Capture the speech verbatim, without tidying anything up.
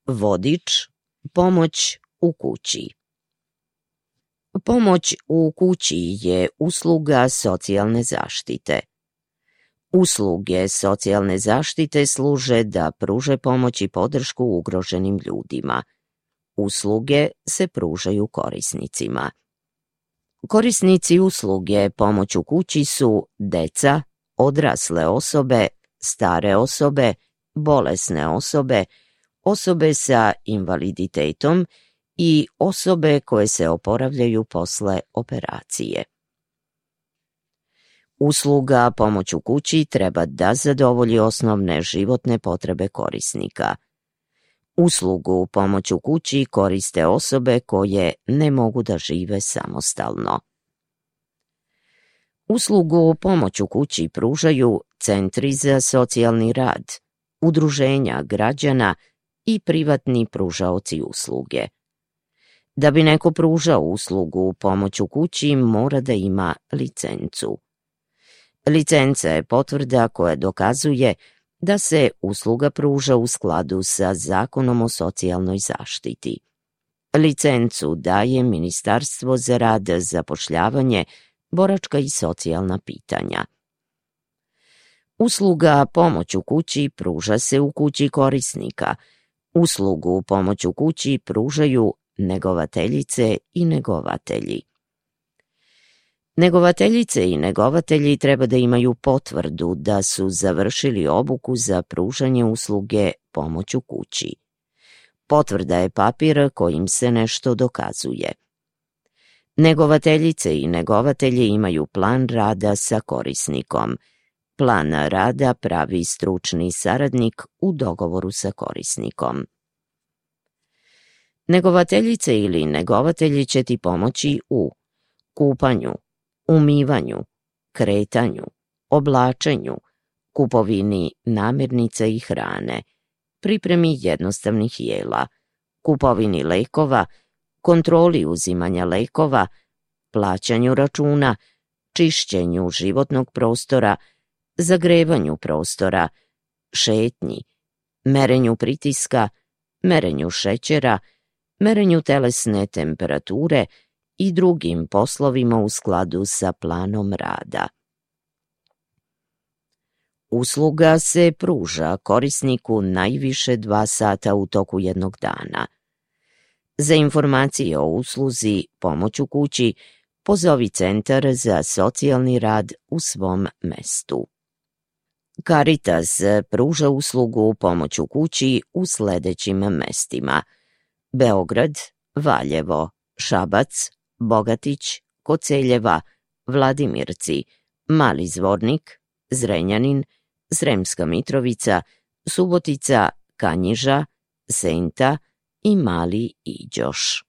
Vodič, pomoć u kući. Pomoć u kući je usluga socijalne zaštite. Usluge socijalne zaštite služe da pruže pomoć i podršku ugroženim ljudima. Usluge se pružaju korisnicima. Korisnici usluge pomoć u kući su deca, odrasle osobe, stare osobe, bolesne osobe, osobe sa invaliditetom i osobe koje se oporavljaju posle operacije. Usluga pomoć u kući treba da zadovolji osnovne životne potrebe korisnika. Uslugu pomoć u kući koriste osobe koje ne mogu da žive samostalno. Uslugu pomoć u kući pružaju centri za socijalni rad, udruženja građana i privatni pružaoci usluge. Da bi neko pružao uslugu pomoć u kući, mora da ima licencu. Licenca je potvrda koja dokazuje da se usluga pruža u skladu sa Zakonom o socijalnoj zaštiti. Licencu daje Ministarstvo za rad, zapošljavanje, boračka i socijalna pitanja. Usluga pomoć u kući pruža se u kući korisnika. Uslugu pomoć u kući pružaju negovateljice i negovatelji. Negovateljice i negovatelji treba da imaju potvrdu da su završili obuku za pružanje usluge pomoć u kući. Potvrda je papir kojim se nešto dokazuje. Negovateljice i negovatelji imaju plan rada sa korisnikom. Plan rada pravi stručni saradnik u dogovoru sa korisnikom. Negovateljice ili negovatelji će ti pomoći u kupanju, umivanju, kretanju, oblačenju, kupovini namirnica i hrane, pripremi jednostavnih jela, kupovini lekova, kontroli uzimanja lekova, plaćanju računa, čišćenju životnog prostora, zagrevanju prostora, šetnji, merenju pritiska, merenju šećera, merenju telesne temperature i drugim poslovima u skladu sa planom rada. Usluga se pruža korisniku najviše dva sata u toku jednog dana. Za informacije o usluzi pomoć u kući pozovi Centar za socijalni rad u svom mestu. Caritas pruža uslugu pomoć u kući u sledećim mestima: Beograd, Valjevo, Šabac, Bogatić, Koceljeva, Vladimirci, Mali Zvornik, Zrenjanin, Sremska Mitrovica, Subotica, Kanjiža, Senta i Mali Iđoš.